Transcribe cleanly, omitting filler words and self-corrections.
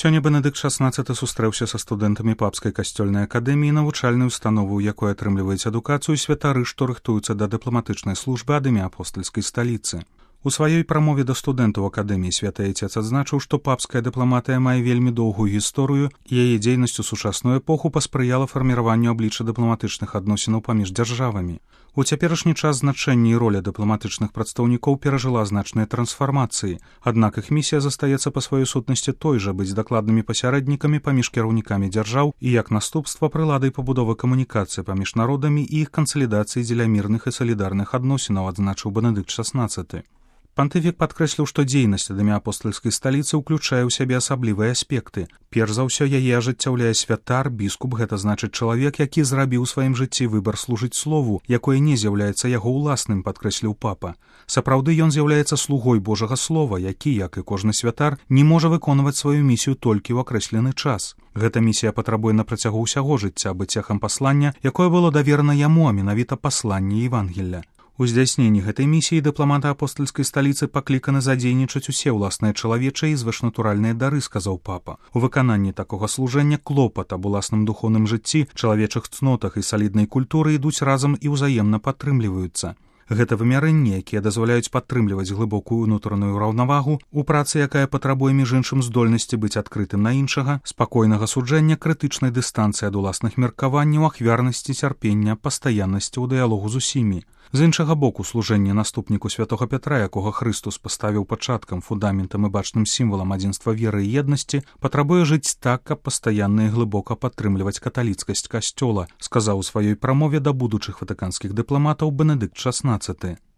Сёння Бенедыкт XVI сустрэўся са студэнтамі папскай касцёльнай акадэміі, навучальнай установы, у якой атрымліваюць адукацыю святары, што рыхтуюцца да дыпламатычнай службы ад імя апостальскай сталіцы. У сваёй прамове да студэнтаў акадэміі святы айцец адзначыў, што папская дыпламатыя мае вельмі доўгую гісторыю, і яе дзейнасць у сучасную эпоху паспрыяла фарміраванню аблічча дыпламатычных адносінаў паміж дзяржавамі. У цяперашні час значэнне і роля дыпламатычных прадстаўнікоў перажыла значныя трансфармацыі, аднак іх місія застаецца па сваёй сутнасці той жа быць дакладнымі пасярэднікамі паміж кіраўнікамі дзяржаў і як наступства прыладай пабудовы камунікацыі паміж народамі і іх кансалідацыі дзеля мірных і салідарных адносінаў, адзначыў Бенедыкт XVI. Пантыфік падкрэсліў, што дзейнасць ад імя апостальскай сталіцы ўключае ў сябе асаблівыя аспекты. Перш за ўсё яе ажыццяўляе святар, біскуп, гэта значыць чалавек, які зрабіў у сваім жыцці выбар служыць слову, якое не з'яўляецца яго ўласным, падкрэсліў папа. Сапраўды ён з'яўляецца слугой Божага слова, які, як і кожны святар, не можа выконваць сваю місію толькі ў акрэслены час. Гэта місія патрабуе на працягу ўсяго жыцця быць цехам паслання, якое было даверана яму, а менавіта пасланне Евангелля. У здзяйсненні гэтай місіі дыпламаты апостальскай сталіцы пакліканы задзейнічаць усе ўласныя чалавечыя і звышнатуральныя дары, сказаў папа. У выкананні такога служэння клопат аб уласным духоўным жыцці, чалавечых цнотах і саліднай культуры ідуць разам і ўзаемна падтрымліваюцца. Гэта вымярэнні, якія дазваляюць падтрымліваць глыбокую ўнутраную раўнавагу у працы, якая патрабуе між іншым здольнасці быць адкрытым на іншага, спакойнага суджэння, крытычнай дыстанцыі ад уласных меркаванняў, ахвярнасці, цярпення, пастаяннасці ў дыялогу з усімі. З іншага боку, служэнне наступніку святога Пятра, якога Хрыстус паставіў пачаткам, фундаментам і бачным сімвалам адзінства веры і еднасці, патрабуе жыць так, каб пастаянна і глыбока падтрымліваць каталіцкасць касцёла, сказаў у сваёй прамове да будучых ватыканскіх дыпламатаў Бенедыкт XVI.